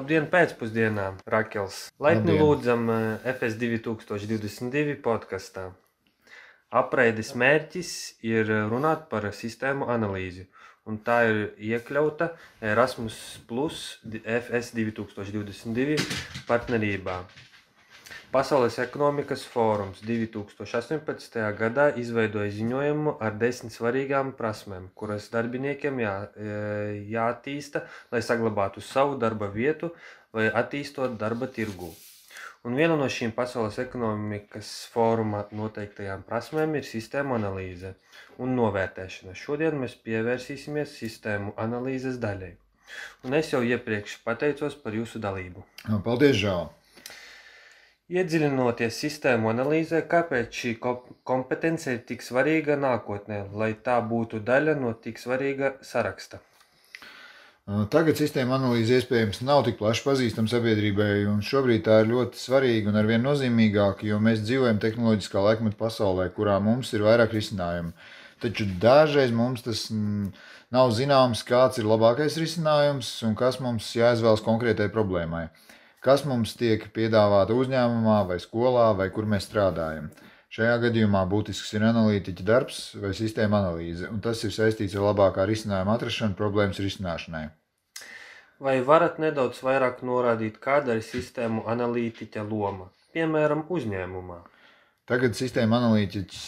Labdien pēcpusdienā, Rakels. Laipni Labdien. lūdzam FS 2022 podkastā. Apreides mērķis ir runāt par sistēmu analīzi, un tā ir iekļauta Erasmus Plus FS 2022 partnerībā. Pasaules ekonomikas fórums 2018. gadā izveidoja ziņojumu ar 10 svarīgām prasmēm, kuras darbiniekiem jāattīsta, lai saglabātu savu darba vietu vai attīstot darba tirgū. Un viena no šīm Pasaules ekonomikas fóruma noteiktajām prasmēm ir sistēmu analīze un novērtēšana. Šodien mēs pievērsīsimies sistēmu analīzes daļai. Un es jau iepriekš pateicos par jūsu dalību. Paldies, Žāl! Iedziļinoties sistēmu analīzē, kāpēc šī kompetence ir tik svarīga nākotnē, lai tā būtu daļa no tik svarīga saraksta? Tagad sistēma analīze iespējams nav tik plaši pazīstama sabiedrībai, un šobrīd tā ir ļoti svarīga un arvien nozīmīgāka, jo mēs dzīvojam tehnoloģiskā laikmeta pasaulē, kurā mums ir vairāk risinājumu. Taču dažreiz mums tas nav zināms, kāds ir labākais risinājums un kas mums jāizvēlas konkrētai problēmai. Kas mums tiek piedāvāta uzņēmumā vai skolā vai kur mēs strādājam. Šajā gadījumā būtisks ir analītiķa darbs vai sistēma analīze, un tas ir saistīts ar labākā risinājuma atrašanu problēmas risināšanai. Vai varat nedaudz vairāk norādīt, kāda ir sistēmu analītiķa loma, piemēram, uzņēmumā? Tagad sistēma analītiķis,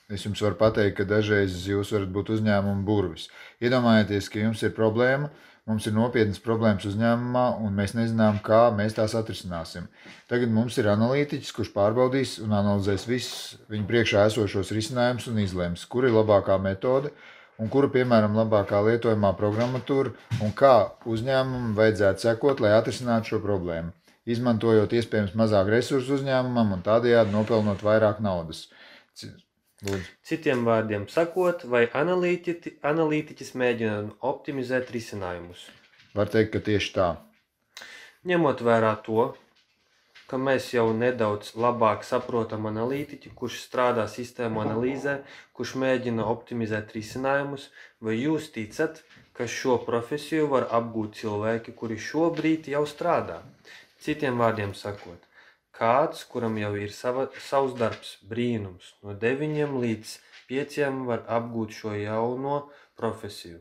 es jums varu pateikt, ka dažreiz jūs varat būt uzņēmuma burvis. Iedomājieties, ka jums ir problēma, mums ir nopietnas problēmas uzņēmumā, un mēs nezinām, kā mēs tās atrisināsim. Tagad mums ir analītiķis, kurš pārbaudīs un analizēs visus viņu priekšā esošos risinājumus un izlems, kur ir labākā metode un kura, piemēram, labākā lietojamā programmatūra un kā uzņēmumam vajadzētu sekot, lai atrisinātu šo problēmu, izmantojot iespējams mazāk resursu uzņēmumam un tādējādi nopelnot vairāk naudas. Lūdzu. Citiem vārdiem sakot, vai analītiķis mēģina optimizēt risinājumus? Var teikt, ka tieši tā. Ņemot vērā to, ka mēs jau nedaudz labāk saprotam analītiķi, kurš strādā sistēmu analīzē, kurš mēģina optimizēt risinājumus, vai jūs ticat, ka šo profesiju var apgūt cilvēki, kuri šobrīd jau strādā? Citiem vārdiem sakot, kāds, kuram jau ir savs darbs, brīnums, no 9 līdz 5 var apgūt šo jauno profesiju.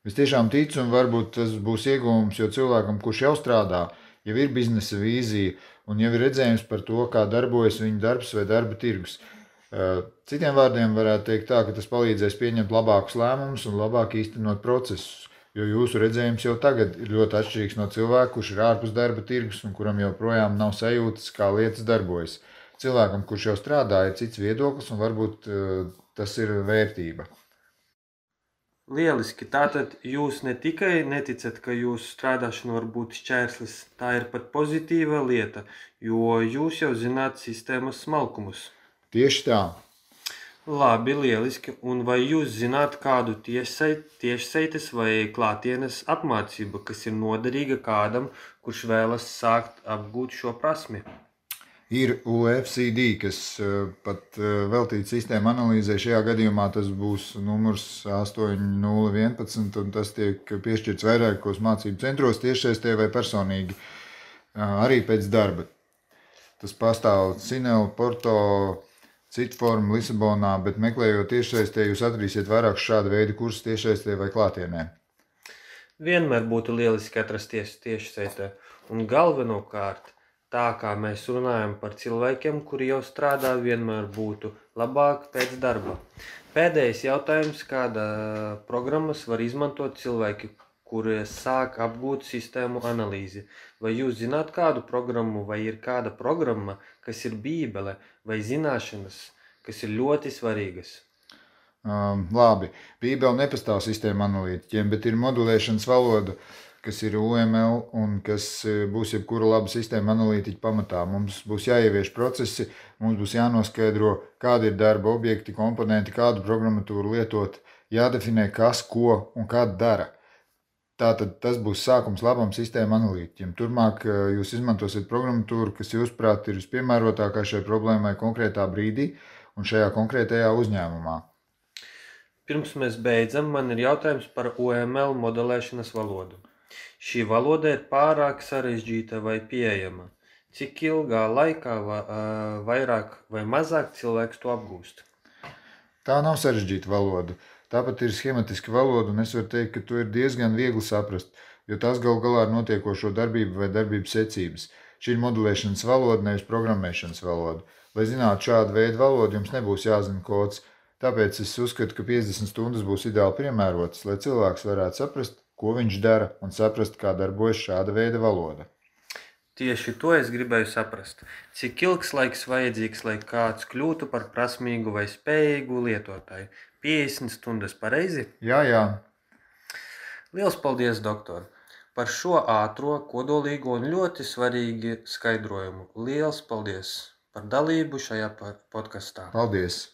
Es tiešām ticu, un varbūt tas būs ieguvums, jo cilvēkam, kurš jau strādā, jau ir biznesa vīzija un jau ir redzējums par to, kā darbojas viņa darbs vai darba tirgus. Citiem vārdiem varētu teikt tā, ka tas palīdzēs pieņemt labākus lēmumus un labāk īstenot procesus. Jo jūsu redzējums jau tagad ir ļoti atšķirīgs no cilvēka, kurš ir ārpus darba tirgus un kuram joprojām nav sajūtas, kā lietas darbojas. Cilvēkam, kurš jau strādā, ir cits viedoklis un varbūt tas ir vērtība. Lieliski. Tātad jūs ne tikai neticat, ka jūsu strādāšana var būt šķērslis, tā ir pat pozitīva lieta, jo jūs jau zināt sistēmas smalkumus. Tieši tā. Labi, lieliski. Un vai jūs zināt kādu tiešsaites vai klātienes apmācību, kas ir noderīga kādam, kurš vēlas sākt apgūt šo prasmi? Ir UFCD, kas pat veltīts sistēma analīzē. Šajā gadījumā tas būs numurs 8011, un tas tiek piešķirts vairākos mācību centros tiešsaistē vai personīgi, arī pēc darba. Tas pastāv Cinel, Porto, citu formu Lisabonā, bet meklējot tiešsaistē, jūs atradīsiet vairāk šādu veidu kursus tiešsaistē vai klātienē. Vienmēr būtu lieliski atrasties tiešsaistē. Un galvenokārt, tā kā mēs runājam par cilvēkiem, kuri jau strādā, vienmēr būtu labāk pēc darba. Pēdējais jautājums, kāda programmas var izmantot cilvēki, kuri sāk apgūt sistēmu analīzi? Vai jūs zināt kādu programmu, vai ir kāda programma, kas ir bībele vai zināšanas, kas ir ļoti svarīgas? Labi, bībele nepastāv sistēma analītiķiem, bet ir modulēšanas valoda, kas ir UML un kas būs jebkura laba sistēma analītiķa pamatā. Mums būs jāievieš procesi, mums būs jānoskaidro, kādi ir darba objekti, komponenti, kādu programmatūru lietot, jādefinē, kas, ko un kā dara. Tātad tas būs sākums labam sistēma analītiķiem. Turmāk jūs izmantosiet programmatūru, kas jūsuprāt ir vispiemērotākā šai problēmai konkrētā brīdī un šajā konkrētajā uzņēmumā. Pirms mēs beidzam, man ir jautājums par UML modelēšanas valodu. Šī valoda ir pārāk sarežģīta vai pieejama? Cik ilgā laikā vairāk vai mazāk cilvēks to apgūst? Tā nav sarežģīta valoda. Tāpat ir schematiska valoda, un es varu teikt, ka to ir diezgan viegli saprast, jo tās gal galā ir notiekošo darbību vai darbības secības. Šī ir modelēšanas valoda, nevis programmēšanas valoda. Lai zinātu šādu veidu valodu, jums nebūs jāzina kods. Tāpēc es uzskatu, ka 50 stundas būs ideāli piemērotas, lai cilvēks varētu saprast, ko viņš dara, un saprast, kā darbojas šāda veida valoda. Tieši to es gribēju saprast. Cik ilgs laiks vajadzīgs, lai kāds kļūtu par prasmīgu vai spējīgu lietotāju? 50 stundas pareizi? Jā. Liels paldies, doktor, par šo ātro, kodolīgo un ļoti svarīgi skaidrojumu. Liels paldies par dalību šajā podkastā. Paldies!